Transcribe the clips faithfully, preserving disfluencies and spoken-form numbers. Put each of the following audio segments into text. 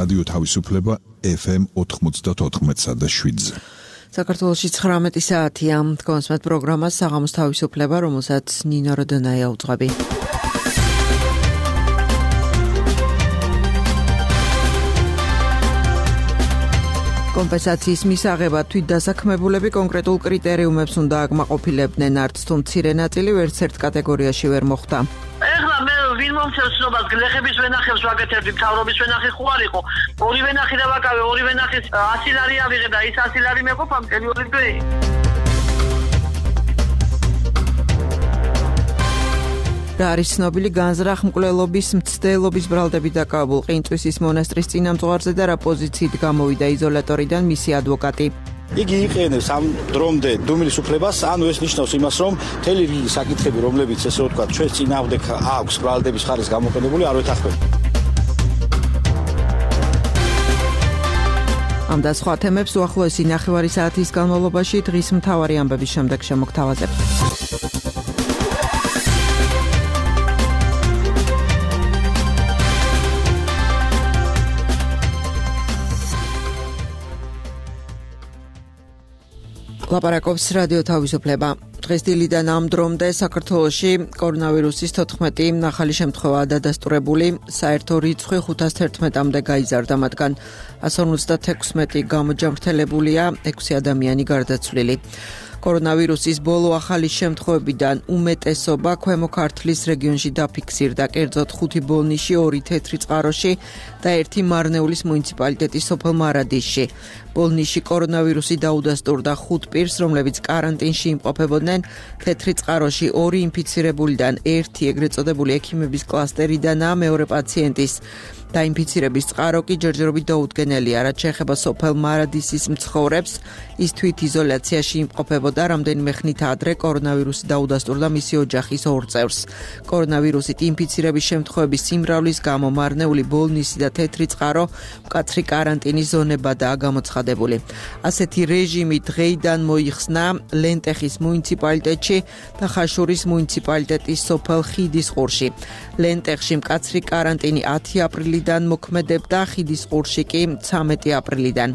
რადიო თავისუფლება ეფ ემ ოთხმოცდაოთხ და შვიდზე. საქართველოში ცხრამეტი საათია. თქვენს პროგრამას საღამოს თავისუფლება, რომელსაც ნინო როდონაია უძღვები. კომპენსაციის მისაღებად თვითდასაქმებულები კონკრეტულ კრიტერიუმებს უნდა აკმაყოფილებდნენ, არც თუ მცირე ნაწილი ვერც ერთ კატეგორიაში ვერ მოხვდა. ეხლა მე ვინ მომწევს ცნობას გლეხების ვენახებს ვაკეთებდი, მთავრობის ვენახი ხო არ იყო? ორი ვენახი და ვაკავე, ორი ვენახის ასი ლარი ავიღე და ის ასი ლარი მეყოფა მტელი ორი დღე. რა არის ცნობილი განზრახ-მკვლელობის მცდელობის ბრალდებით დაკავებულ ყინწვისის მონასტრის წინამძღვარზე და რა პოზიციით გამოვიდა იზოლატორიდან მისი ადვოკატი. იგი იყენებს ამ დრომდე დუმილის უფლებას, ანუ ეს ნიშნავს იმას, რომ მთელი რიგი საკითხები, რომლებიც ესე ვთქვათ, ჩვენს წინააღმდეგ აქვს ბრალდების ხარისხ გამოყენებული, არ ვეთანხმება. ამ და სხვა თემებს უახლოესი ნახევარი საათის განმავლობაში დღის მთავარი ამბების შემდეგ შემოგთავაზებთ. ლაპარაკობს რადიო თავისუფლება. დღეს დილიდან ამ დრომდე საქართველოში კორონავირუსის თოთხმეტი ახალი შემთხვევაა დადასტურებული, საერთო რიცხვი ხუთას თერთმეტამდე გაიზარდა, მათგან ასი ოცდაექვსი გამოჯამრთელებულია, ექვსი ადამიანი გარდაცვლილი. კორონავირუსის ბოლო ახალი შემთხვევებიდან უმეტესობა ქვემო ქართლის რეგიონში დაფიქსირდა, კერძოდ ხუთი ბოლნიში, ორი თეთრი წყაროში და ერთი მარნეულის მუნიციპალიტეტის სოფელ მარადისში. ბოლნიში კორონავირუსი დაუდასტურდა ხუთ პირს, რომლებიც კარანტინში იმყოფებოდნენ. თეთრი წყაროში ორი ინფიცირებულიდან ერთი ეგრეთ წოდებული ექიმების კლასტერიდანაა, მეორე პაციენტის დაინფიცირების წყარო კი ჯერჯერობით დაუდგენელია, რაც შეეხება სოფელ მარადისის მცხოვრებს, ის თვით იზოლაციაში იმყოფებოდა, რამდენიმე ხნით ადრე კორონავირუსი დაუდასტურდა მისი ოჯახის ორ წევრს. კორონავირუსით ინფიცირების შემთხვევების სიმრავლის გამო მარნეული, ბოლნისი და თეთრი წყარო მკაცრი კარანტინის ზონებადაა გამოცხადებული. ასეთი რეჟიმი დღეიდან მოიხსნა ლენტეხის მუნიციპალიტეტში და ხაშურის მუნიციპალიტეტის სოფელ ხიდისყურში. ლენტეხში მკაცრი კარანტინი ათი აპრილიდან მოქმედებდა, ხიდისყურში კი ცამეტი აპრილიდან.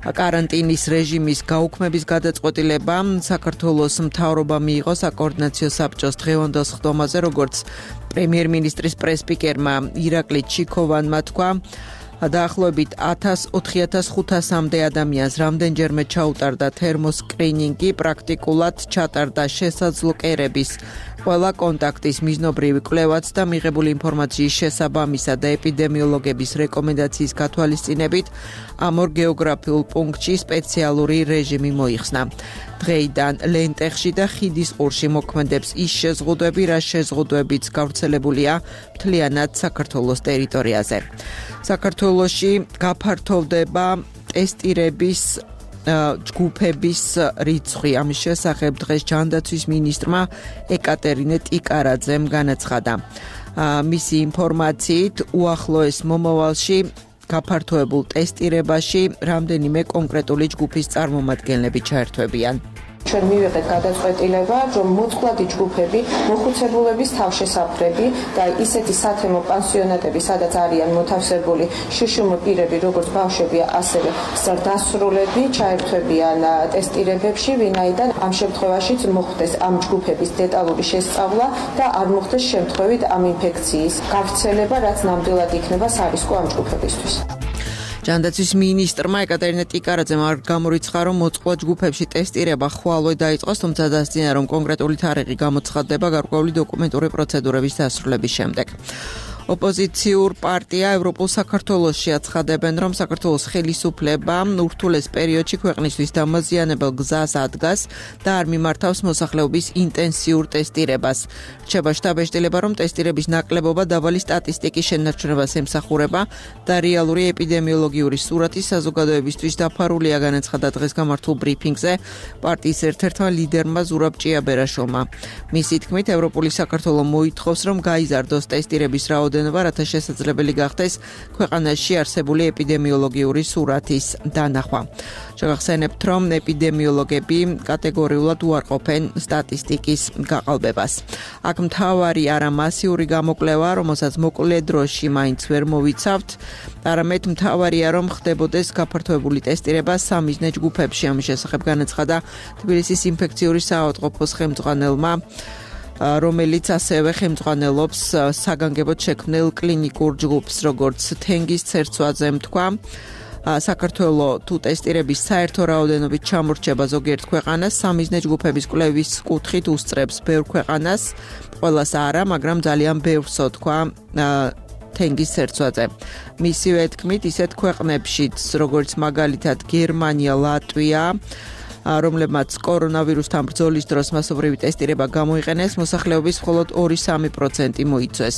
კარანტინის რეჟიმის გაუქმების გადაწყვეტილება საქართველოს მთავრობამ მიიღო საკოორდინაციო საბჭოს დღევანდელ სხდომაზე, როგორც პრემიერ-მინისტრის პრესპიკერმა ირაკლი ჩიქოვანმა თქვა. დაახლოებით ოთხი ათას ხუთასამდე ადამიანს რამდენჯერმე ჩაუტარდა თერმოსკრინინგი, პრაქტიკულად ჩატარდა შესაძლო კერების ყველა კონტაქტის მიზნობრივი კვლევაც და მიღებული ინფორმაციის შესაბამისა და ეპიდემიოლოგების რეკომენდაციის გათვალისწინებით ამ ორ გეოგრაფიულ პუნქტში სპეციალური რეჟიმი მოიხსნა. დღეიდან ლენტეხში და ხიდისყურში მოქმედებს ის შეზღუდვები, რა შეზღუდვებიც გავრცელებულია მთლიანად საქართველოს ტერიტორიაზე. საქართველოში გაფართოვდება ტესტირების ჯგუფების რიცხვი. ამის შესახებ დღეს ჯანდაცვის მინისტრმა ეკატერინე ტიკარაძემ განაცხადა. მისი ინფორმაციით უახლოეს მომავალში გაფართოებულ ტესტირებაში რამდენიმე კონკრეტული ჯგუფის წარმომადგენლები ჩაერთვებიან. ჩვენ მივიღეთ გადაწყვეტილება, რომ მოწყვლადი ჯგუფები, მოხუცებულების თავშესაფრები და ისეთი სათემო პანსიონატები, სადაც არიან მოთავსებული შიშუმო პირები, როგორც ბავშვები, ასევე ზრდასრულები, ჩაერთვებიან ტესტირებებში, ვინაიდან ამ შემთხვევაშიც მოხდეს ამ ჯგუფების დეტალური შესწავლა და არ მოხდეს შემთხვევით ამ ინფექციის გავრცელება, რაც ნამდვილად იქნება სარისკო ამ ჯგუფებისთვის. ჯანდაცვის მინისტრმა ეკატერინე ტიკარაძემ არ გამორიცხა, რომ მოწყვლად ჯგუფებში ტესტირება ხვალვე დაიწყოს, თუმცა დასძინა, რომ კონკრეტული თარიღი გამოცხადდება გარკვეული დოკუმენტური პროცედურების დასრულების შემდეგ. ოპოზიციურ პარტია ევროპულ საქართველოში აცხადებენ, რომ საქართველოს ხელისუფლება ურთულეს პერიოდში ქვეყნისთვის დამაზიანებელ გზას ადგას და არ მიმართავს მოსახლეობის ინტენსიურ ტესტირებას. რჩება შტაბ-ეშტილება, რომ ტესტირების ნაკლებობა დაბალი სტატისტიკის შენარჩუნებას ემსახურება და რეალური ეპიდემიოლოგიური სურათი საზოგადოებისთვის დაფარულია, განაცხადა დღეს გამართულ ბრიფინგზე პარტიის ერთ-ერთმა ლიდერმა ზურაბ ჭიაბერაშვილმა. მისი თქმით, ევროპული საქართველო მოითხოვს, რომ გაიზარდოს ტესტირების რაოდენობა რაოდენობა, რათა შესაძლებელი გახდეს ქვეყანაში არსებული ეპიდემიოლოგიური სურათის დანახვა. შეგახსენებთ, რომ ეპიდემიოლოგები კატეგორიულად უარყოფენ სტატისტიკის გაყალბებას. აქ მთავარი არა მასიური გამოკვლევა, რომელსაც მოკლე დროში მაინც ვერ მოვიცავთ, არამედ მთავარია, რომ ხდებოდეს გაფართოებული ტესტირება სამიზნე ჯგუფებში. ამის შესახებ განაცხადა თბილისის ინფექციური საავადმყოფოს ხელმძღვანელმა, რომელიც ასევე ხელმძღვანელობს საგანგებოდ შექმნილ კლინიკურ ჯგუფს, როგორც თენგის ცერცვაძემ თქვა. საქართველოს თუ ტესტირების საერთო რაოდენობით ჩამორჩება ზოგიერთ ქვეყანას, სამიზნე ჯგუფების კვლევის კუთხით უსწრებს ბევრ ქვეყანას, ყველას არა, მაგრამ ძალიან ბევრსო თქვა თენგის ცერცვაძე. მისივე თქმით, ისეთ ქვეყნებშიც, როგორც მაგალითად გერმანია, ლატვია, რომლებმაც კორონავირუსთან ბრძოლის დროს მასობრივი ტესტირება გამოიყენეს, მოსახლეობის მხოლოდ ორი სამი პროცენტი მოიცვეს.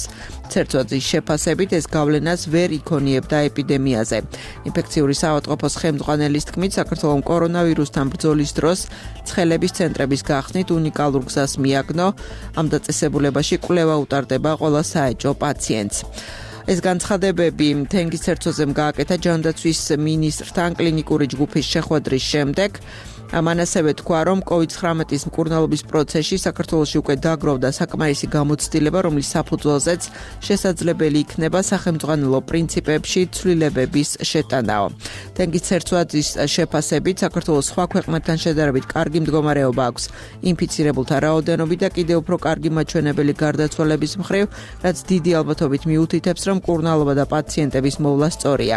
ცერცვაძის შეფასებით ეს გავლენას ვერ იქონიებდა ეპიდემიაზე. ინფექციური საავადმყოფოს ხელმძღვანელის თქმით, საქართველოს კორონავირუსთან ბრძოლის დროს ცხელების ცენტრების გახსნით უნიკალურ გზას მიაგნო, ამ დაწესებულებაში კვლევა utardeba ყველა საეჭვო პაციენტს. ეს განცხადებები თენგის ცერცვაძემ გააკეთა ჯანდაცვის მინისტრთან კლინიკური ჯგუფის შეხვედრის შემდეგ. ამან ასევე თქვა, რომ კოვიდ ცხრამეტის მკურნალობის პროცესში საქართველოში უკვე დაგროვდა საკმარისი გამოცდილება, რომლის საფუძველზეც შესაძლებელი იქნება სახელმძღვანელო პრინციპებში ცვლილებების შეტანაო. თენგის ცერცვაძის შეფასებით, საქართველოს სხვა ქვეყნებთან შედარებით კარგი მდგომარეობა აქვს ინფიცირებულთა რაოდენობით და კიდევ უფრო კარგი მაჩვენებელი გარდაცვალების მხრივ, რაც დიდი ალბათობით მიუთითებს, რომ მკურნალობა და პაციენტების მოვლა სწორია.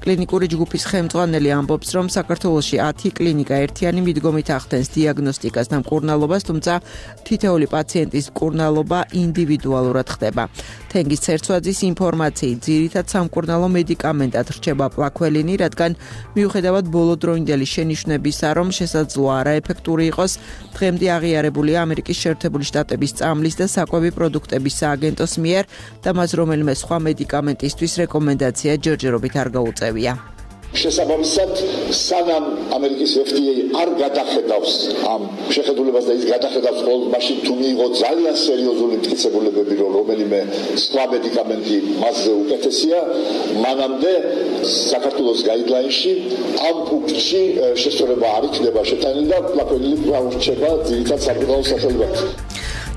კლინიკური ჯგუფის ხელმძღვანელი ამბობს, რომ საქართველოში ათი კლინიკა ერთიანი მიდგომით ახდენს დიაგნოსტიკას და მკურნალობას, თუმცა თითოეული პაციენტის მკურნალობა ინდივიდუალურად ხდება. თენგის ცერცვაძის ინფორმაციით, ძირითად სამკურნალო მედიკამენტად რჩება პლაქველინი, რადგან მიუხედავად ბოლოდროინდელი შენიშვნებისა, რომ შესაძლოა არაეფექტური იყოს, დღემდე აღიარებულია ამერიკის შეერთებული შტატების წამლის და საკვები პროდუქტების სააგენტოს მიერ და მას რომელიმე სხვა მედიკამენტისთვის რეკომენდაცია ჯერჯერობით არ გაუწევია. შესაბამისად, სანამ ამერიკის ეფ დი ეი არ გადახედავს ამ შეხედულებას და ის გადახედავს მხოლოდ მაშინ თუ მიიღო ძალიან სერიოზული მტკიცებულებები, რომ რომელიმე სხვა მედიკამენტი მასზე უკეთესია, მანამდე საქართველოს გაიდლაინში ამ პუნქტში შესწორება არ იქნება შეტანილი და პლაქველინი გაურჩება ძირითად სამკურნალო სახელებად.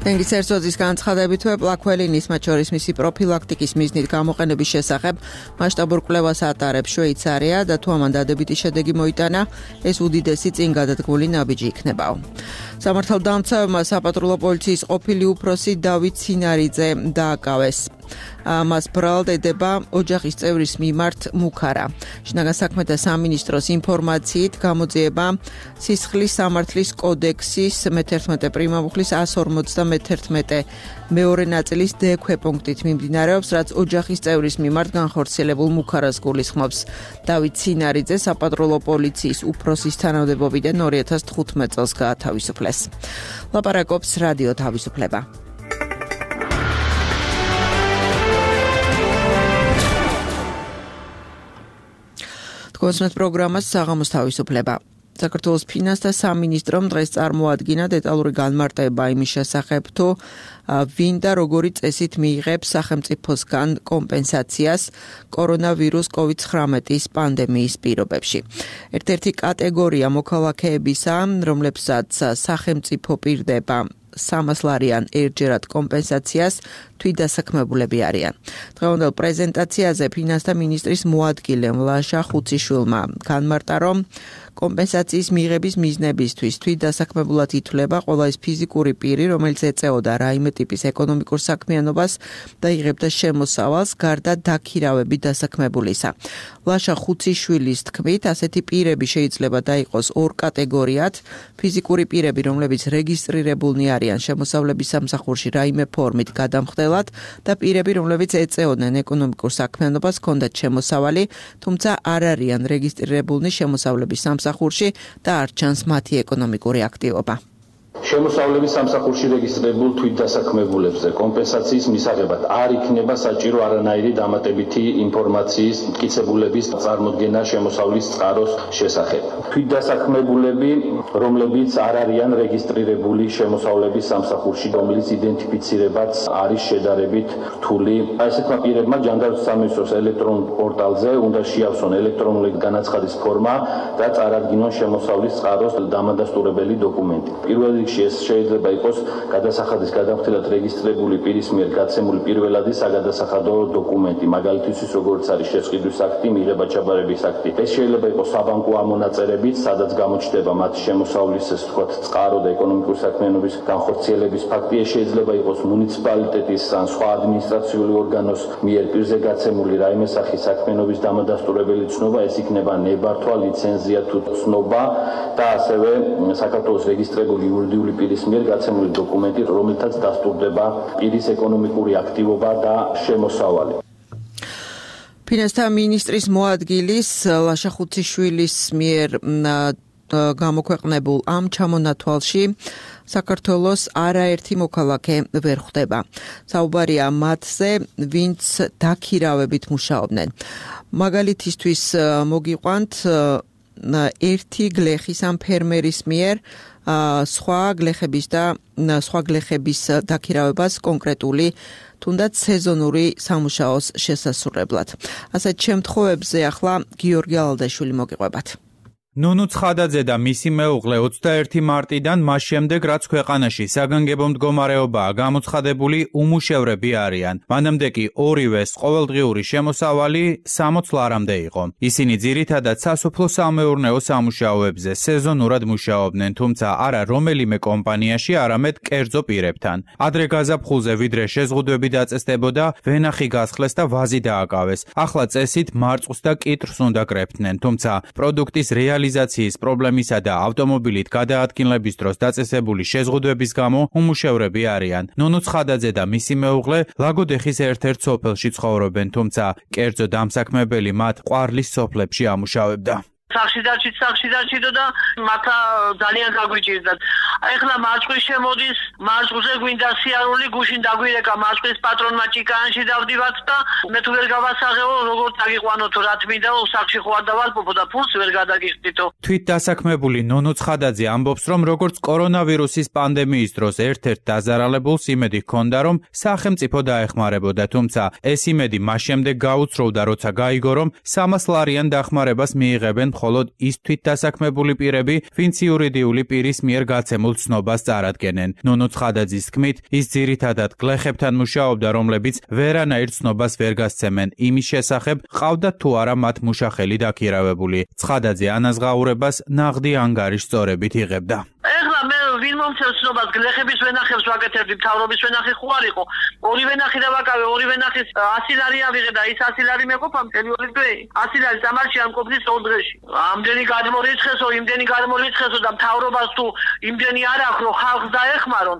თენგის ცერცვაძის განცხადებითვე პლაქველინის, მათ შორის მისი პროფილაქტიკის მიზნით გამოყენების შესახებ მასშტაბურ კვლევას ატარებს შვეიცარია და თუ ამან დადებითი შედეგი მოიტანა, ეს უდიდესი წინ გადადგმული ნაბიჯი იქნებაო. სამართალდამცავებმა საპატრულო პოლიციის ყოფილი უფროსი დავით ცინარიძე დააკავეს. მას ბრალად ედება ოჯახის წევრის მიმართ მუქარა. შინაგან საქმეთა სამინისტროს ინფორმაციით გამოძიება სისხლის სამართლის კოდექსის მეთერთმეტე პრიმამუხლის ასი ორმოცდამეთერთმეტე მეორე ნაწილის დ ქვეპუნქტით მიმდინარეობს, რაც ოჯახის წევრის მიმართ განხორციელებულ მუქარას გულისხმობს. დავით ცინარიძე საპატრულო პოლიციის უფროსის თანამდებობიდან ორი ათას თხუთმეტ წელს გაათავისუფლეს. ლაპარაკობს რადიო თავისუფლება. კონსულტ პროგრამას საღამოს თავისუფლება. საქართველოს ფინანსთა სამინისტრომ დღეს წარმოადგინა დეტალური განმარტება იმის შესახებ, თუ ვინ და როგორი წესით მიიღებს სახელმწიფოსგან კომპენსაციას კორონავირუს კოვიდ ცხრამეტის პანდემიის პირობებში. ერთ-ერთი კატეგორია მოქალაქეებისა, რომლებსაც სახელმწიფო პირდება სამას ლარიან ერთჯერად კომპენსაციას თვითდასაქმებულები არიან. დღევანდელ პრეზენტაციაზე ფინანსთა მინისტრის მოადგილე ლაშა ხუციშვილმა განმარტა, რომ კომპენსაციის მიღების მიზნებისთვის თვითდასაქმებულად ითვლება ყველა ის ფიზიკური პირი, რომელიც ეწეოდა რაიმე ტიპის ეკონომიკურ საქმიანობას და იღებდა შემოსავალს გარდა დაქირავებით დასაქმებულისა. ლაშა ხუციშვილის თქმით, ასეთი პირები შეიძლება დაიყოს ორ კატეგორიად: ფიზიკური პირები, რომლებიც რეგისტრირებულნი არიან შემოსავლების სამსახურში რაიმე ფორმით გადამხდელად და პირები, რომლებიც ეწეოდნენ ეკონომიკურ საქმიანობას, ჰქონდათ შემოსავალი, თუმცა არ არიან რეგისტრირებულნი შემოსავლების სამსახურში და არ ჩანს მათი ეკონომიკური აქტივობა. შემოსავლების სამსახურში რეგისტრირებულ თვითდასაქმებულებზე კომპენსაციის მისაღებად არ იქნება საჭირო არანაირი დამატებითი ინფორმაციის მტკიცებულების წარმოდგენა შემოსავლის წყაროს შესახებ. თვითდასაქმებულები, რომლებიც არ არიან რეგისტრირებული შემოსავლების სამსახურში, რომლის იდენტიფიცირებაც არის შედარებით რთული, ესეთმა პირებმა ჯანდაცვის სამინისტროს ელექტრონულ პორტალზე უნდა შეავსონ ელექტრონული განაცხადის ფორმა და წარადგინონ შემოსავლის წყაროს დამადასტურებელი დოკუმენტი. პირველ რიგში ეს შეიძლება იყოს გადასახადის გადამხდელად რეგისტრირებული პირის მიერ გაცემული პირველადი საგადასახადო დოკუმენტი, მაგალითისთვის როგორც არის შესყიდვის აქტი, მიღება-ჩაბარების აქტი. ეს შეიძლება იყოს საბანკო ამონაწერებიც, სადაც გამოჩნდება მათი შემოსავლის, ესე ვთქვათ, წყარო და ეკონომიკური საქმიანობის განხორციელების ფაქტი. ეს შეიძლება იყოს მუნიციპალიტეტის ან სხვა ადმინისტრაციული ორგანოს მიერ პირზე გაცემული რაიმე სახის საქმიანობის დამადასტურებელი ცნობა, ეს იქნება ნებართვა, ლიცენზია თუ ცნობა და ასევე საქართველოს რეგისტრირებული იურიდიული პირის მიერ გაცემული დოკუმენტი, რომელთაც დასტურდება პირის ეკონომიკური აქტივობა და შემოსავალი. ფინანსთა მინისტრის მოადგილის ლაშა ხუციშვილის მიერ გამოქვეყნებულ ამ ჩამონათვალში საქართველოს არაერთი მოქალაქე ვერ ხვდება. საუბარია მათზე, ვინც დაქირავებით მუშაობდნენ. მაგალითისთვის მოგიყვანთ ერთი გლეხის ამ ფერმერის მიერ სხვა გლეხების და სხვა გლეხების დაქირავებას კონკრეტული თუნდაც სეზონური სამუშაოს შესასრულებლად. ასეთ შემთხვევებზე ახლა გიორგი ალადაშვილი მოგიყვებათ. ნუნუ ცხადაძე და მისი მეუღლე ოცდაერთი მარტიდან მას შემდეგ, რაც ქვეყანაში საგანგებო მდგომარეობაა გამოცხადებული, უმუშევრები არიან. მანამდე კი ორივეს ყოველდღიური შემოსავალი სამოც ლარამდე იყო. ისინი ძირითადად სასოფლო-სამეურნეო სამუშაოებზე სეზონურად მუშაობდნენ, თუმცა არა რომელიმე კომპანიაში, არამედ კერძო პირებთან. ადრე გაზაფხულზე ვიდრე შეზღუდვები დაწესდებოდა, ვენახი გასხლეს და ვაზი დააკავეს. ახლა წესით მარწყვს და კიტრს უნდა კრეფდნენ, თუმცა პროდუქტის რეალი რეალიზაციის პრობლემისა და ავტომობილით გადაადგილების დროს დაწესებული შეზღუდვების გამო უმუშევრები არიან. ნუნუ ცხადაძე და მისი მეუღლე ლაგოდეხის ერთ-ერთ სოფელში ცხოვრობენ, თუმცა კერძო დამსაქმებელი მათ ყვარლის სოფლებში ამუშავებდა. სახში დაჩით, სახში დაჩიდო და მათა ძალიან გაგვიჭირდათ. ეხლა მარწყვის შემოდის, მარწყვზე გვინდა სიარული, გუშინ დაგვირეკა მარწყვის პატრონმა ჭიკანში დავდივართ და მე თუ ვერ გავასაღებო, როგორ დაგიყვანოთ, რა თმინდა, სახში ხო არ დავალპობო და ფულს ვერ გადაგიხდითო. თვით დასაქმებული ნუნუ ცხადაძე ამბობს, რომ როგორც კორონავირუსის პანდემიის დროს ერთ-ერთ დაზარალებულს იმედი ჰქონდა, რომ სახელმწიფო დაეხმარებოდა, თუმცა ეს იმედი მას შემდეგ გაუცროვდა, როცა გაიგო, რომ სამას ლარიან დახმარებას მიიღებენ მხოლოდ ის თვით დასაქმებული პირები, ვინც იურიდიული პირის მიერ გაცემულ ცნობას წარადგენენ. ნუნუ ცხადაძის თქმით, ის ძირითადად გლეხებთან მუშაობდა, რომლებიც ვერანაირ ცნობას ვერ გასცემენ იმის შესახებ, ყავდათ თუ არა მათ მუშახელი დაქირავებული. ცხადაძე ანაზღაურებას ნაღდი ანგარიშ სწორებით იღებდა. ეხლა მე ვინ მომცემს ცნობას, გლეხების ვენახებს ვაკეთებდი, მთავრობის ვენახი ხო არ იყო. ორი ვენახი დავაკავე, ორი ვენახის ასი ლარი ავიღე და ის ასი ლარი მეყოფა მთელი ორი დღე. ასი ლარი სამარში არ მყოფნის ორ დღეში. ამდენი გადმორიცხესო, იმდენი გადმორიცხესო და მთავრობას თუ იმდენი არ აქვს, რომ ხალხს დაეხმარონ.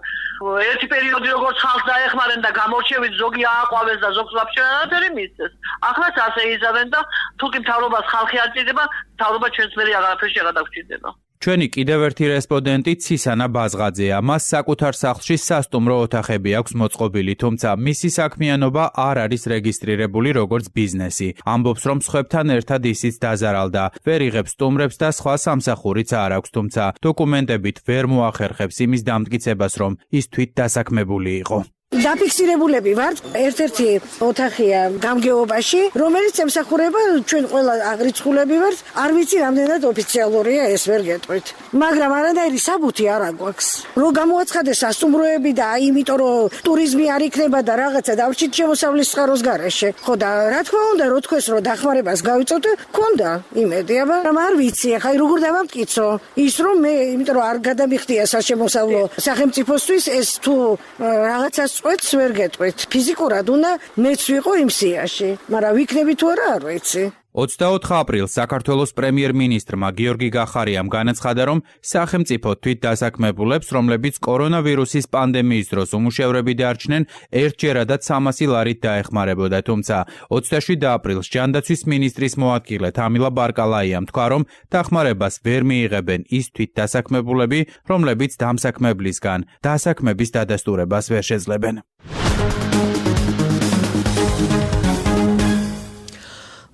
ერთი პერიოდი როგორც ხალხს დაეხმარენ და გამორჩევით ზოგი ააყვავეს და ზოგს ვაფშე არაფერი მისცეს. ახლაც ასე იზავენ და თუ კი მთავრობას ხალხი არ ჭირდება, მთავრობა ჩვენს მერე აღარაფერში აღარ დაგჭირდება. ჩვენი კიდევ ერთი რესპონდენტი ცისანა ბაზღაძეა. მას საკუთარ სახლში სასტუმრო ოთახები აქვს მოწყობილი, თუმცა მისი საქმიანობა არ არის რეგისტრირებული როგორც ბიზნესი. ამბობს, რომ სხვებთან ერთად ისიც დაზარალდა. ვერ იღებს სტუმრებს და სხვა სამსახურიც არ აქვს, თუმცა დოკუმენტებით ვერ მოახერხებს იმის დამტკიცებას, რომ ის თვით დასაქმებული იყო. დაფიქსირებულები ვართ, ერთ-ერთი ოთახია გამგეობაში, რომელიც ემსახურება ჩვენ ყველა აღრიცხულები ვართ, არ ვიცი რამდენად ოფიციალურია ეს ვერ გეტყვით. მაგრამ არანაირი საბუთი არ აგვაქვს. რომ გამოაცხადეს სასტუმროები და აი იმიტომ რომ ტურიზმი არ იქნება და რაღაცა დავრჩით შემოსავლის წყაროს გარეშე. ხო და რა თქმა უნდა, რო თქვეს რომ დახმარებას გავიწოდე, მქონდა იმედი, მაგრამ არ ვიცი, ახლა როგორ დავამტკიცო. ის რომ მე იმიტომ რომ არ გადამიხდია საშემოსავლო სახელმწიფოსთვის ეს თუ რაღაცას წვეთს ვერ გეტყვით. ფიზიკურად უნდა მეც ვიყო იმ სიაში, მაგრამ ვიქნები თუ არა არ ვიცი. ოცდაოთხ აპრილს საქართველოს პრემიერ-მინისტრმა გიორგი გახარიამ განაცხადა, რომ სახელმწიფო თვით დასაქმებულებს, რომლებიც კორონავირუსის პანდემიის დროს უმუშევრები დარჩნენ, ერთჯერადად სამასი ლარით დაეხმარებოდა, თუმცა ოცდაშვიდ აპრილს ჯანდაცვის მინისტრის მოადგილე თამილა ბარკალაიამ თქვა, რომ დახმარებას ვერ მიიღებენ ის თვით დასაქმებულები, რომლებიც დამსაქმებლისგან დასაქმების დადასტურებას ვერ შეძლებენ.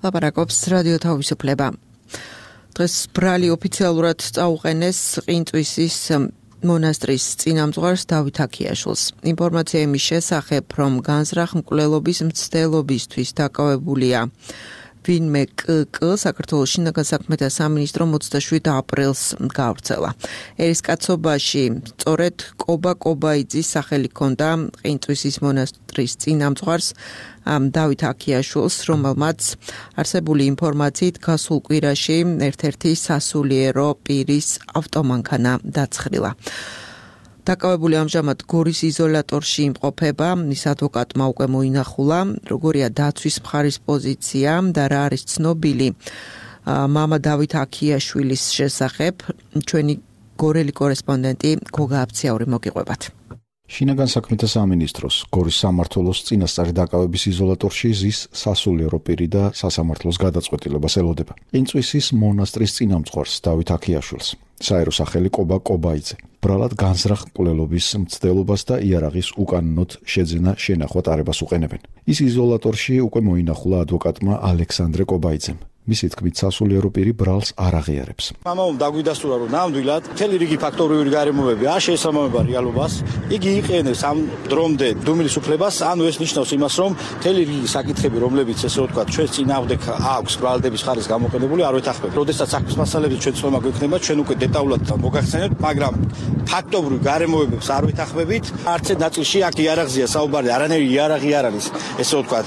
ლაპარაკობს რადიო თავისუფლება. დღეს ბრალი ოფიციალურად წაუყენეს ყინწვისის მონასტრის წინამძღვარს დავით აქიაშვილს. ინფორმაცია იმის შესახებ, რომ განზრახ მკვლელობის მცდელობისთვის დაკავებულია ვინმე კკ საქართველოს შინაგან საქმეთა სამინისტრომ ოცდაშვიდ აპრილს გაავრცელა. ერისკაცობაში სწორედ კობა კობაიძის სახელი ჰქონდა ყინწვისის მონასტრის წინამძღვარს დავით აქიაშვილს, რომელმაც არსებული ინფორმაციით გასულ კვირაში ერთ-ერთი სასულიერო პირის ავტომანქანა დაცხრილა. დაკავებული ამჟამად გორის იზოლატორში იმყოფება, მის ადვოკატმა უკვე მოინახულა, როგორია დაცვის მხარის პოზიცია და რა არის ცნობილი მამა დავით აქიაშვილის შესახებ, ჩვენი გორელი კორესპონდენტი გოგა აბციაური მოგიყვებათ. შინაგან საქმეთა სამინისტროს გორის სამმართველოს წინასწარი დაკავების იზოლატორში ზის სასულიერო პირი და სასამართლოს გადაწყვეტილებას ელოდება. ყინწვისის მონასტრის წინამძღვარს დავით აქიაშვილს, საერო სახელი კობა კობაიძე, ბრალად განზრახ მკვლელობის მცდელობას და იარაღის უკანონოდ შეძენა შენახვა ტარებას უყენებენ. ის იზოლატორში უკვე მოინახულა ადვოკატმა ალექსანდრე კობაიძემ. მისი თქმით, სასულიერო პირი ბრალს არ აღიარებს. მამამ დაგვიდასტურა, რომ ნამდვილად მთელი რიგი ფაქტორიული გარემოებები არ შეესაბამება რეალობას. იგი იყენებს ამ დრომდე დუმილის უფლებას, ანუ ეს ნიშნავს იმას, რომ მთელი რიგი საკითხები, რომლებიც ესე ვთქვათ, ჩვენს წინააღმდეგ აქვს ბრალდების ხარისხ გამოყენებული, არ ვეთანხმებით. როდესაც საქმის მასალების ჩვენ ცნობა გვექნება, ჩვენ უკვე დეტალურად მოგახსენებთ, მაგრამ ფაქტობრივ გარემოებებს არ ვეთანხმებით. არც ერთ ნაწილში აქ იარაღზეა საუბარი, არანაირი იარაღი არ არის, ესე ვთქვათ,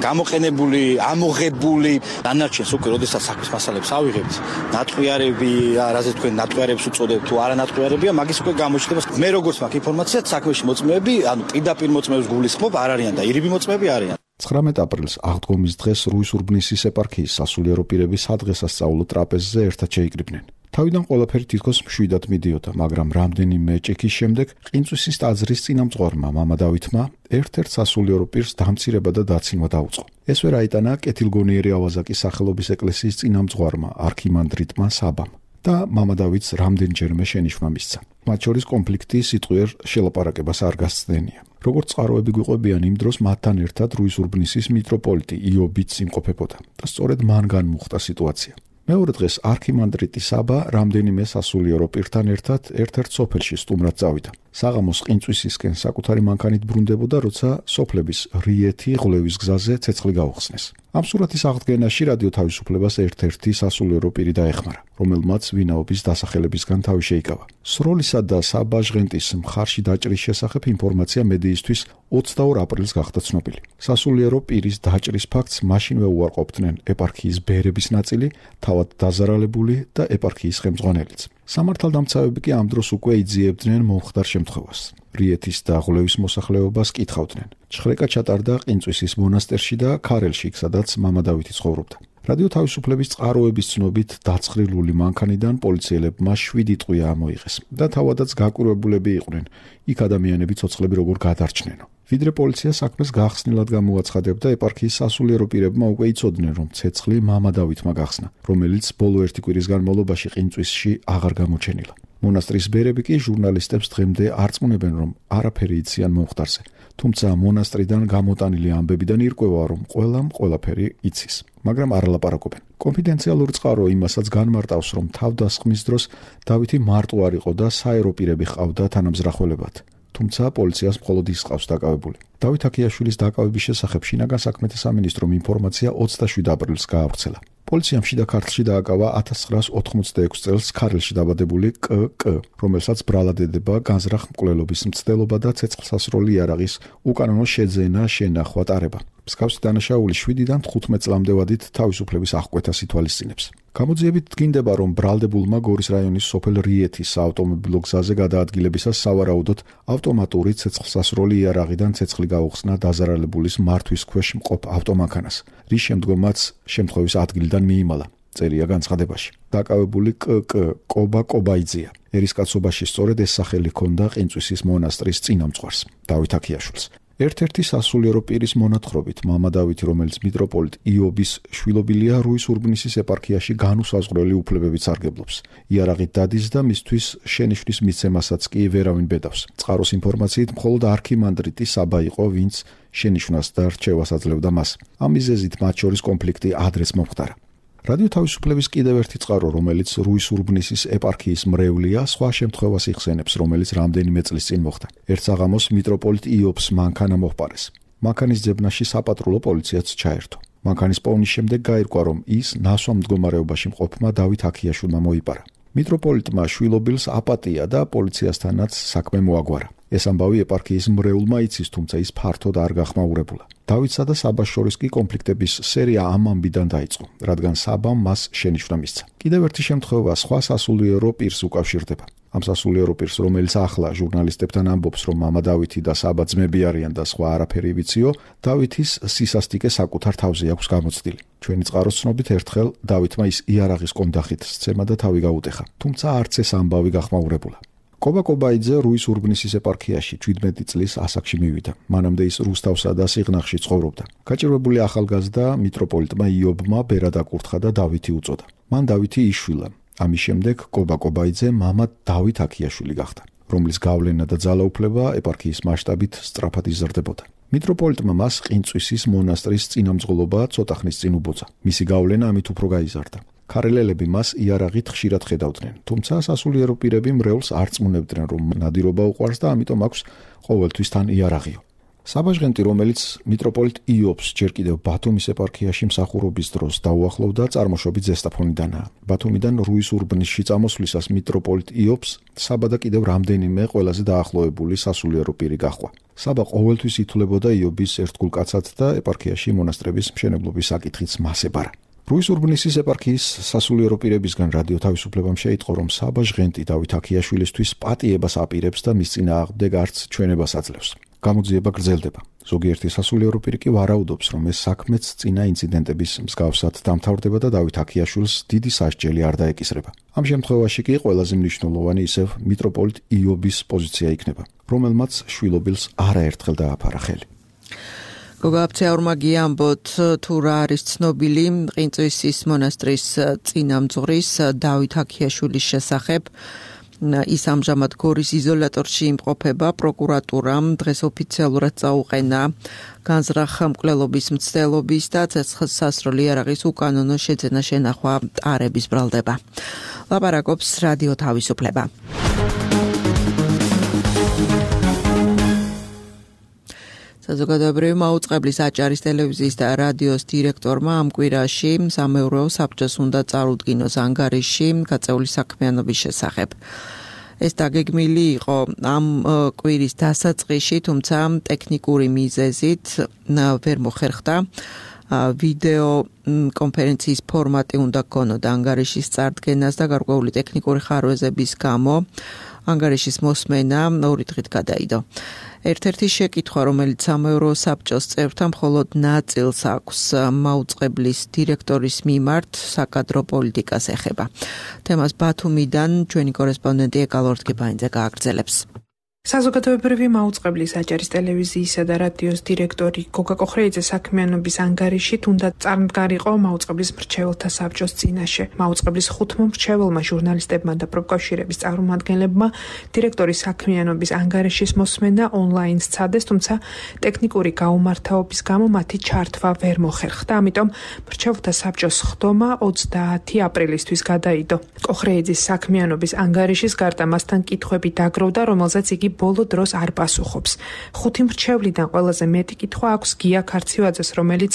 გამოყენებული, ამოღებული. ანარჩენს უკვე როდესაც საქმის მასალებს ავიღებთ, ნატყვიარები, რაზე თქვენ ნატყვიარებს უწოდებთ თუ არა ნატყვიარებია, მაგის უკვე გამოჩნდება. მე როგორც მაქვს ინფორმაცია, საქმეში მოწმეები, ანუ პირდაპირ მოწმეებს გულისხმობ, არ არიან და ირიბი მოწმეები არიან. ცხრამეტ აპრილს აღდგომის დღეს რუის-ურბნისის ეპარქიის სასულიერო პირები სადღესასწაულო ტრაპეზზე ერთად შეიკრიბნენ. თავიდან ყველაფერი თითქოს მშვიდად მიდიოდა, მაგრამ რამდენიმე ჭიქის შემდეგ ყინწვისის ტაძრის წინამძღვარმა მამა დავითმა ერთ-ერთ სასულიერო პირს დამცირება და დაცინვა დაუწყო. ეს ვერ აიტანა კეთილგონიერი ავაზაკის სახელობის ეკლესიის წინამძღვარმა არქიმანდრიტმა საბამ და მამა დავითს რამდენჯერმე შენიშვნა მისცა. მათ შორის კონფლიქტი სიტყვიერ შელაპარაკებას არ გასცდენია. როგორც წყაროები გვიყვებიან, იმ დროს მათთან ერთად რუის-ურბნისის მიტროპოლიტი იობიც იმყოფებოდა და სწორედ მან განმუხტა სიტუაცია. მეორე დღეს არქიმანდრიტი საბა რამდენიმე სასულიერო პირთან ერთად ერთ-ერთ სოფელში სტუმრად წავიდა. საღამოს ყინწვისისკენ საკუთარი მანქანით ბრუნდებოდა, როცა სოფლების რიეთი ღლევის გზაზე ცეცხლი გაუხსნეს. ამ სურათის აღდგენაში რადიო თავისუფლებას ერთ-ერთი სასულიერო პირი დაეხმარა, რომელმაც ვინაობის დასახელებისგან თავი შეიკავა. სროლისა და საბა ჟღენტის მხარში დაჭრის შესახებ ინფორმაცია მედიისთვის ოცდაორ აპრილს გახდა ცნობილი. სასულიერო პირის დაჭრის ფაქტს მაშინვე უარყოფდნენ ეპარქიის ბერების ნაწილი, თავად დაზარალებული და ეპარქიის ხელმძღვანელიც. სამართალდამცავები კი ამ დროს უკვე იძიებდნენ მომხდარ შემთხვევას. რიეთის და ღლევის მოსახლეობას კითხავდნენ. ჩხრეკა ჩატარდა ყინწვისის მონასტერში და ქარელში, სადაც მამა დავითი ცხოვრობდა. რადიო თავისუფლების წყაროების ცნობით დაცხრილული მანქანიდან პოლიციელებმა შვიდი ტყვია ამოიღეს და თავადაც გაკვირვებულები იყვნენ იქ ადამიანები ცოცხლები როგორ გადარჩნენო. ვიდრე პოლიცია საქმეს გახსნილად გამოაცხადებდა, ეპარქიის სასულიერო პირებმა უკვე იცოდნენ, რომ ცეცხლი მამა დავითმა გახსნა, რომელიც ბოლო ერთი კვირის განმავლობაში ყინწვისში აღარ გამოჩენილა. მონასტრის ბერები კი ჟურნალისტებს დღემდე არწმუნებენ, რომ არაფერი იციან მომხდარზე, თუმცა მონასტრიდან გამოტანილი ამბებიდან ირკვევა, რომ ყველამ ყველაფერი იცის, მაგრამ არ ლაპარაკობენ. კონფიდენციალური წყარო იმასაც განმარტავს, რომ თავდასხმის დროს დავითი მარტო არ იყო და საერო პირები ჰყავდა თანამზრახველებად. თუმცა პოლიციას მხოლოდ ის ყავს დაკავებული. დავით აქიაშვილის დაკავების შესახებ შინაგან საქმეთა სამინისტრომ ინფორმაცია ოცდაშვიდ აპრილს გაავრცელა. პოლიციამ შიდა ქართლში დააკავა ათას ცხრაას ოთხმოცდაექვსი წელს ქარელში დაბადებული კკ, რომელსაც ბრალად ედება განზრახ მკვლელობის მცდელობა და ცეცხლსასროლი იარაღის უკანონო შეძენა შენახვა ტარება. მსგავსი დანაშაული შვიდიდან თხუთმეტ წლამდე ვადით თავისუფლების აღკვეთას ითვალისწინებს. გამოძიებით დგინდება, რომ ბრალდებულმა გორის რაიონის სოფელ რიეთის საავტომობილო გზაზე გადაადგილებისას სავარაუდოდ ავტომატური ცეცხლსასროლი იარაღიდან ცეცხლი გაუხსნა დაზარალებულის მართვის ქვეშ მყოფ ავტომანქანას, რის შემდგომაც შემთხვევის ადგილიდან მიიმალა. წერია განცხადებაში. დაკავებული კ.კ. კობა კობაიძეა. ერისკაცობაში სწორედ ეს სახელი ჰქონდა ყინწვისის მონასტრის წინამძღვარს, დავით აქიაშვილს. ერთ-ერთი სასულიერო პირის მონათხრობით, მამა დავითი, რომელიც მიტროპოლიტ იობის შვილობილია, რუის ურბნისის ეპარქიაში განუსაზღვრელი უფლებებით სარგებლობს. იარაღით დადის და მისთვის შენიშვნის მიცემასაც კი ვერავინ ბედავს. წყაროს ინფორმაციით, მხოლოდ არქიმანდრიტი საბა იყო, ვინც შენიშვნას და რჩევას აძლევდა მას. ამ მიზეზით მათ შორის კონფლიქტი ადრეც მომხდარა. რადიო თავისუფლების კიდევ ერთი წყარო, რომელიც რუის ურბნისის ეპარქიის მრევლია, სხვა შემთხვევას იხსენებს, რომელიც რამდენიმე წლის წინ მოხდა. ერთ საღამოს მიტროპოლიტ იობს მანქანა მოჰყარეს. მანქანის ძებნაში საპატრულო პოლიციაც ჩაერთო. მანქანის პოვნის შემდეგ გაირკვა, რომ ის ნასვამ მდგომარეობაში მყოფმა დავით აქიაშვილმა მოიპარა. მიტროპოლიტმა შვილობილს აპატია და პოლიციასთანაც საქმე მოაგვარა. ეს ამბავი ეპარქიის მრევლმა იცის, თუმცა ის ფართოდ არ გახმაურებულა. დავითსა და საბას შორის კი კონფლიქტების სერია ამ ამბიდან დაიწყო, რადგან საბამ მას შენიშვნა მისცა. კიდევ ერთი შემთხვევა სხვა სასულიერო პირს უკავშირდება. ამ სასულიერო პირს, რომელიც ახლა ჟურნალისტებთან ამბობს, რომ მამა დავითი და საბა ძმები არიან და სხვა არაფერი ვიციო, დავითის სისასტიკე საკუთარ თავზე აქვს გამოცდილი. ჩვენი წყაროს ცნობით ერთხელ დავითმა ის იარაღის კონდახით სცემა და თავი გაუტეხა, თუმცა არც ეს ამბავი გახმაურებულა. კობა კობაიძე რუის ურბნისის ეპარქიაში შვიდმეტი წლის ასაკში მივიდა. მანამდე ის რუსთავსა და სიღნაღში ცხოვრობდა. გაჭირვებული ახალგაზრდა მიტროპოლიტმა იობმა ბერად აკურთხა და დავითი უწოდა. მან დავითი იშვილა. ამის შემდეგ კობა კობაიძე მამა დავით აქიაშვილი გახდა, რომლის გავლენა და ძალაუფლება ეპარქიის მასშტაბით სწრაფად იზრდებოდა. მიტროპოლიტმა მას ყინწვისის მონასტრის წინამძღოლობა ცოტა ხნის წინ უბოძა. მისი გავლენა ამით უფრო გაიზარდა. ქარელელები მას იარაღით ხშირად ხედავდნენ, თუმცა სასულიერო პირები მრევლს არ წმუნებდნენ, რომ ნადირობა უყვარს და ამიტომ აქვს ყოველთვის თან იარაღიო. საბაჟღენტი, რომელიც მიტროპოლიტ იობს ჯერ კიდევ ბათუმის ეპარქიაში მსახურობის დროს დაუახლოვდა, წარმოშობით ზესტაფონიდანაა. ბათუმიდან რუის ურბნისში წამოსვლისას მიტროპოლიტ იობს საბა და კიდევ რამდენიმე ყველაზე დაახლოებული სასულიერო პირი გაჰყვა. საბა ყოველთვის ითვლებოდა იობის ერთგულ კაცად და ეპარქიაში მონასტრების მშენებლობის საკითხიც მას ებარა. რუის ურბნისის ეპარქიის სასულიერო პირებისგან რადიო თავისუფლებამ შეიტყო, რომ საბა ჟღენტი დავით აქიაშვილისთვის პატიებას აპირებს და მის წინააღმდეგ არც ჩვენებას აძლევს. გამოძიება გრძელდება. ზოგიერთი სასულიერო პირი კი ვარაუდობს, რომ ეს საქმეც წინა ინციდენტების მსგავსად დამთავრდება და დავით აქიაშვილს დიდი სასჯელი არ დაეკისრება. ამ შემთხვევაში კი ყველაზე მნიშვნელოვანი ისევ მიტროპოლიტ იობის პოზიცია იქნება, რომელმაც შვილობილს არაერთხელ დააფარა ხელი. გოგაბცეაურმა გიამბოთ, თუ რა არის ცნობილი ყინწვისის მონასტრის წინამძღვრის დავით აქიაშვილის შესახებ. ის ამჟამად გორის იზოლატორში იმყოფება. პროკურატურამ დღეს ოფიციალურად წაუყენა განზრახ მკვლელობის მცდელობის და ცეცხლსასროლი იარაღის უკანონო შეძენა შენახვა ტარების ბრალდება. ლაპარაკობს რადიო თავისუფლება. საზოგადოებრივი მაუწყებლის აჭარის ტელევიზიის და რადიოს დირექტორმა ამ კვირაში სამეურვეო საბჭოს უნდა წარუდგინოს ანგარიში გაწეული საქმიანობის შესახებ. ეს დაგეგმილი იყო ამ კვირის დასაწყისში, თუმცა ტექნიკური მიზეზით ვერ მოხერხდა. ვიდეო კონფერენციის ფორმატი უნდა გქონოდა ანგარიშის წარდგენას და გარკვეული ტექნიკური ხარვეზების გამო ანგარიშის მოსმენა ორი დღით გადაიდო. ერთ-ერთი შეკითხვა, რომელიც სამეურვეო საბჭოს წევრთა მხოლოდ ნაწილს აქვს მაუწყებლის დირექტორის მიმართ საკადრო პოლიტიკას ეხება. თემას ბათუმიდან ჩვენი კორესპონდენტი ეკალორდ კიბაინძე გააგრძელებს. საზოგადოებრივი მაუწყებლის აჭარის ტელევიზიისა და რადიოს დირექტორი გოგა კოხრეიძე საქმიანობის ანგარიში თუნდაც წარმდგარიყო მაუწყებლის მრჩეველთა საბჭოს წინაშე. მაუწყებლის ხუთმა მრჩეველმა ჟურნალისტებმა და პროფკავშირების წარმომადგენლებმა დირექტორის საქმიანობის ანგარიშის მოსმენა ონლაინ სცადეს, თუმცა ტექნიკური გაუმართავობის გამო მათი ჩართვა ვერ მოხერხდა. ამიტომ მრჩეველთა საბჭოს ხდომა ოცდაათი აპრილისთვის გადაიდო. კოხრეიძის საქმიანობის ანგარიშის გარდა მასთან კითხვები დაგროვდა, რომელზეც იგი ბოლო დროს არ პასუხობს. ხუთი მრჩევლიდან ყველაზე მეტი კითხვა აქვს გია ქარცივაძეს, რომელიც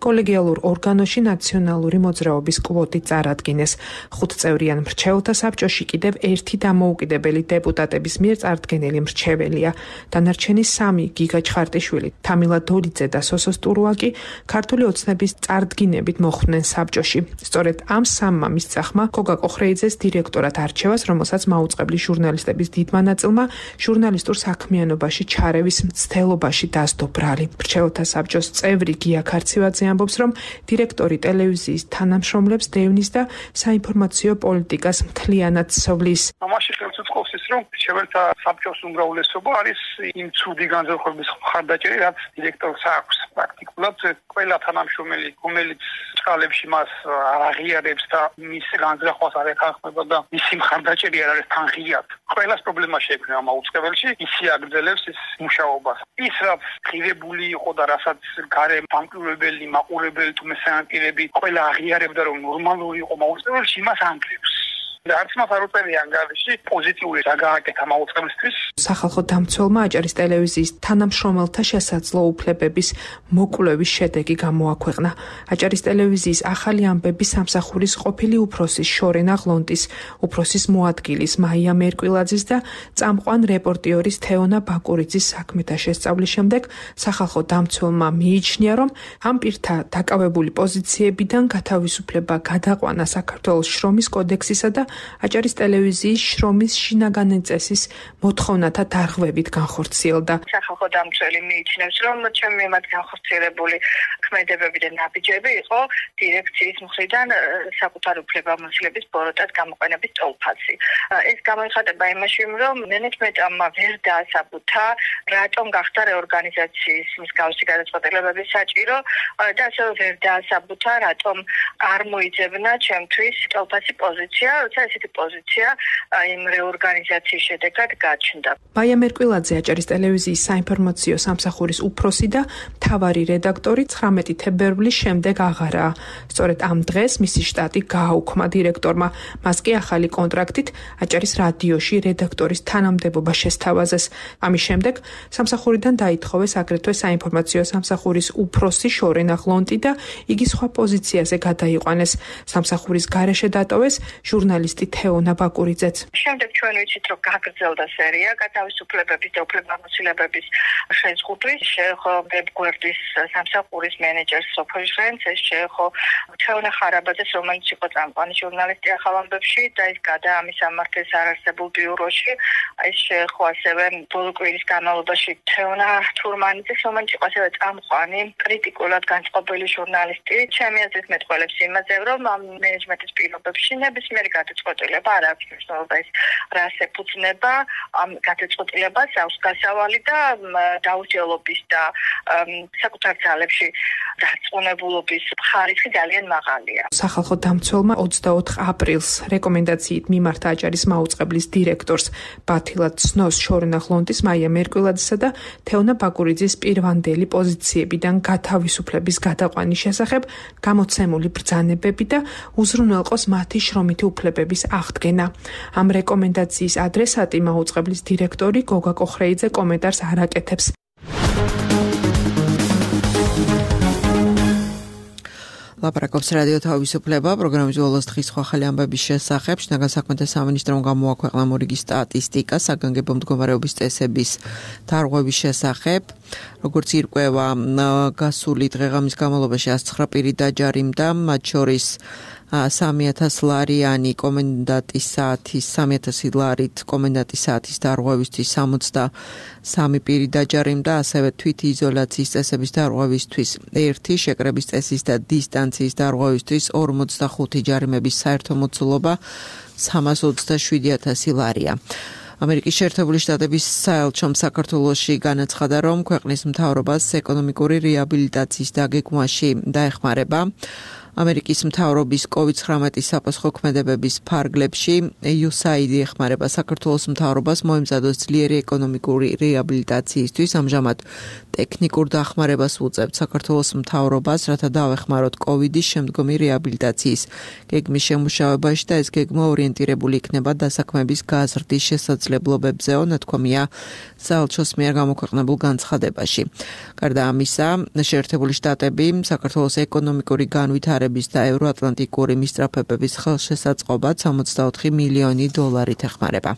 კოლეგიალურ ორგანოში ნაციონალური მოძრაობის კვოტით წარადგინეს. ხუთწევრიან მრჩეველთა საბჭოში კიდევ ერთი დამოუკიდებელი დეპუტატების მიერ წარდგენილი მრჩეველია. დანარჩენი სამი გიგა ჩხარტიშვილი, თამილა დოლიძე და სოსო სტურუაკი ქართული ოცნების წარდგინებით მოხვდნენ საბჭოში. სწორედ ამ სამმა მისწახმა გოგა კოხრეიძეს დირექტორად არჩევას, რომელსაც მაუწყებლის ჟურნალისტების დიდმა ნაწილმა ჟურნალისტურ საქმიანობაში ჩარევის მცდელობაში დასდო ბრალი. მრჩეველთა საბჭოს წევრი გია ქარცივაძე ამბობს, რომ დირექტორი ტელევიზიის თანამშრომლებს დევნის და საინფორმაციო პოლიტიკას მთლიანად ცვლის. ამაში ხელს უწყობს ის, რომ მრჩეველთა საბჭოს უმრავლესობა არის იმ ცუდი განზრახების მხარდაჭერი, რაც დირექტორს აქვს. პრაქტიკულად ყველა თანამშრომელი, რომელიც წყალებში მას არ აღიარებს და მის განზრახვას არ ეთანხმება და მისი მხარდაჭერი არ არის თანხიად, ყველას პრობლემა შეექმნება მაუწყებელში, ისი აგრძელებს ის მუშაობას. ის რაც ღირებული იყო და რასაც გარე დამკვირვებელი, მაყურებელი თუ მესამე ყველა აღიარებდა, რომ ნორმალური იყო მაუწყებელში, იმას ანგრევს. და არც მას არ უწევია ანგარიში პოზიტიური საგააკეთა მაუწყებლისთვის. სახალხო დამცველმა აჭარის ტელევიზიის თანამშრომელთა შესაძლო უფლებების მოკვლევის შედეგი გამოაქვეყნა. აჭარის ტელევიზიის ახალი ამბები სამსახურის ყოფილი უფროსის შორენა ღლონტის, უფროსის მოადგილის მაია მერკვილაძის და წამყვან რეპორტიორის თეონა ბაკურიძის საქმეთა შესწავლის შემდეგ სახალხო დამცველმა მიიჩნია, რომ ამ პირთა დაკავებული პოზიციებიდან გათავისუფლება გადაყვანა საქართველოს შრომის კოდექსისა და აჭარის ტელევიზიის შრომის შინაგანი წესის მოთხოვნათა დარღვევით განხორციელდა. სახალხო დამცველი მიიჩნევს, რომ ჩემი მიმართ განხორციელებული ქმედებები და ნაბიჯები იყო დირექციის მხრიდან საკუთარ უფლებამოსილების ბოროტად გამოყენების ტოლფასი. ეს გამოიხატება იმაში, რომ მენეჯმენტმა ვერ დაასაბუთა, რატომ გახდა რეორგანიზაციის მსგავსი გადაწყვეტილებების საჭირო და ასევე ვერ დაასაბუთა, რატომ არ მოიძებნა ჩემთვის ტოლფასი პოზიცია, როცა ესეთი პოზიცია იმ რეორგანიზაციის შედეგად გაჩნდა. მაია მერკვილაძე აჭარის ტელევიზიის საინფორმაციო სამსახურის უფროსი და მთავარი რედაქტორი ცხრამეტი თებერვლის შემდეგ აღარაა. სწორედ ამ დღეს მისი შტატი გააუქმა დირექტორმა. მას კი ახალი კონტრაქტით აჭარის რადიოში რედაქტორის თანამდებობა შესთავაზეს. ამის შემდეგ სამსახურიდან დაითხოვეს აგრეთვე საინფორმაციო სამსახურის უფროსი შორენა ღლონტი და იგი სხვა პოზიციაზე გადაიყვანეს. სამსახურის გარეშე დატოვეს ჟურნალისტი თეონა ბაკურიძეც. შემდეგ ჩვენ ვიცით, რომ გაგრძელდა სერია გათავისუფლებების და უფლებამოსილებების შეზღუდვის, შეეხო ვებგვერდის სამსახურის მენეჯერს სოფელ ჟრენცს, ეს შეეხო თეონა ხარაბაძეს, რომელიც იყო წამყვანი ჟურნალისტი ახალ ამბებში და ის გადაამის სამართლის არარსებულ ბიუროში. ეს შეეხო ასევე ბოლო კვირის განმავლობაში თეონა თურმანიძეს, რომელიც იყო ასევე წამყვანი კრიტიკულად განწყობილი ჟურნალისტი. ჩემი აზრით მეტყველებს იმაზე, რომ ამ მენეჯმენტის პირობებში ნებისმიერი გადაწყვეტილება არ აქვს მნიშვნელობა ის რას ეფუძნება, ამ გადაწყვეტილებას აქვს გასავალი და დაუსჯელობის და საკუთარ ძალებში დარწმუნებულობის ხარისხი ძალიან მაღალია. სახალხო დამცველმა ოცდაოთხ აპრილს რეკომენდაციით მიმართა აჭარის მაუწყებლის დირექტორს ბათილა ცნოს შორენა ღლონტის მაია მერკვილაძისა და თეონა ბაკურიძის პირვანდელი პოზიციებიდან გათავისუფლების გადაყვანის შესახებ გამოცემული ბრძანებები და უზრუნველყოს მათი შრომითი უფლებების აღდგენა. ამ რეკომენდაციის ადრესატი მაუწყებლის დირექტორი გოგა კოხრეიძე კომენტარს არ აკეთებს. ლაპარაკობს რადიო თავისუფლება, პროგრამის ბოლოს დღის სხვა ახალი ამბების შესახებ. შინაგან საქმეთა სამინისტრომ გამოაქვეყნა მორიგი სტატისტიკა საგანგებო მდგომარეობის წესების დარღვევის შესახებ. როგორც ირკვევა, გასული დღეღამის განმავლობაში ას ცხრა პირი დაჯარიმდა, მათ შორის სამი ათას ლარიანი კომენდანტის საათის, სამი ათასი ლარით კომენდანტის საათის დარღვევისთვის სამოცდასამი პირი დაჯარიმდა, ასევე თვითიზოლაციის წესების დარღვევისთვის ერთი, შეკრების წესის და დისტანციის დარღვევისთვის ორმოცდახუთი ჯარიმების საერთო მოცულობა სამას ოცდაშვიდი ათასი ლარია. ამერიკის შეერთებული შტატების საელჩომ საქართველოში განაცხადა, რომ ქვეყნის მთავრობას ეკონომიკური რეაბილიტაციის დაგეგმვაში დაეხმარება. ამერიკის მთავრობის კოვიდ ცხრამეტი საფასხო ქმედებების ფარგლებში იუ ეს έი აიდი ეხმარება საქართველოს მთავრობას მოემზადოს ძლიერი ეკონომიკური რეაბილიტაციისთვის. ამჟამად ტექნიკურ დახმარებას უწევთ საქართველოს მთავრობას, რათა დაвихმაროთ კოვიდის შემდგომი რეაბილიტაციის გეგმის შემუშავებაში და ეს გეგმა ორიენტირებული იქნება დასაქმების გაზრდის შესაძლებლობებზეო, ნათქვამია საელჩოს მიერ გამოქვეყნებულ განცხადებაში. გარდა ამისა, შეერთებული შტატები საქართველოს ეკონომიკური განვითარების და ევროატლანტიკური მისწრაფებების ხელშესაწყობად სამოცდაოთხი მილიონი დოლარით ეხმარება.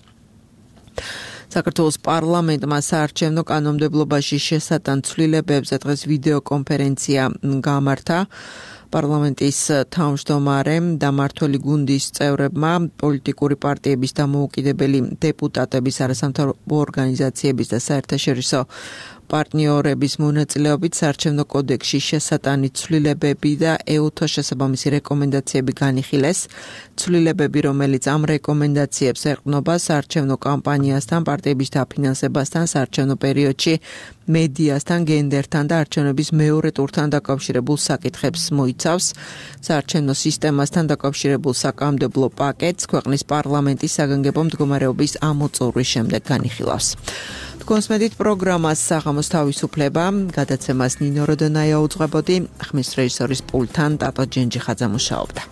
საქართველოს პარლამენტმა საარჩევნო კანონმდებლობაში შესატან ცვლილებებზე დღეს ვიდეო კონფერენცია გამართა. პარლამენტის თავმჯდომარემ და მმართველი გუნდის წევრებმა პოლიტიკური პარტიების და მოუკიდებელი დეპუტატების, არასამთავრობო ორგანიზაციების და საერთაშორისო პარტნიორების მონაწილეობით საარჩევნო კოდექსში შესატანი ცვლილებები და ეუთოს შესაბამისი რეკომენდაციები განიხილეს. ცვლილებები, რომელიც ამ რეკომენდაციებს ეყრდნობა საარჩევნო კამპანიასთან, პარტიების დაფინანსებასთან, საარჩევნო პერიოდში მედიასთან, გენდერთან და არჩევნების მეორე ტურთან დაკავშირებულ საკითხებს მოიცავს. საარჩევნო სისტემასთან დაკავშირებულ საკანონმდებლო პაკეტს ქვეყნის პარლამენტის საგანგებო მდგომარეობის ამოწურვის შემდეგ განიხილავს. თქვენს მედით პროგრამას საღამოს თავისუფლება, გადაცემას ნინო როდონაია უძღვებოდი, ხმის რეჟისორის პულტთან ტატო ჯენჯიხაძე მუშაობდა.